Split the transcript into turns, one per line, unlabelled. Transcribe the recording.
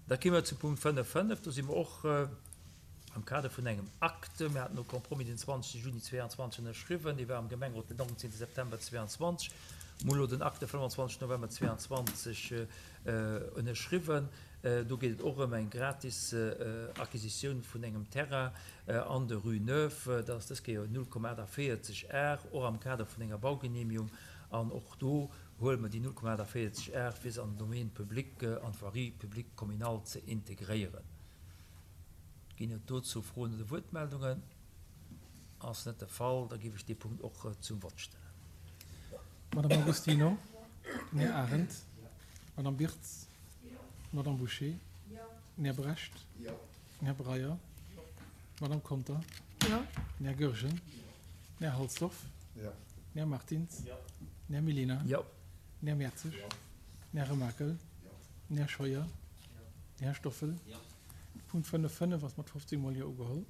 Da gi mer zum Punkt 5, 5. Do si mer och am Kader vun engem Acte. Mir haten e Compromis den 20 Juni 22 ënnerschriwwen. Dee war am Gemengerot den 19 September 22. Mir hu lo den Acte 25 November 22 ënnerschriwwen. Do geet et och ëm eng gratis Acquisitioun vun engem Terrain an der Rue Neuve. Dat ass dës Kéier 0,48 Ar, och am Kader vun enger Baugenehmigung. An och do huele mer déi 0,48 Ar, fir se an den Domaine public, an d'Voirie publique communale ze integréieren. Ginn et dozou Froen oder Wuertmeldungen? Ass net de Fall, da géif ech dee Punkt och zum Vott stellen.
Madame Agostino, den Här Arendt, d'Madame Birtz, d'Madame Bouché, den Här Brecht, den Här Breyer, d'Madame Conter, den Här Goergen, den Här Halsdorf, den Här Martins, den Här Mellina, den Här Mertzig, den Här Remakel, den Här Scheuer, den Här Stoffel. Punkt 5, 5 ass mat 15 mol Jo ugeholl.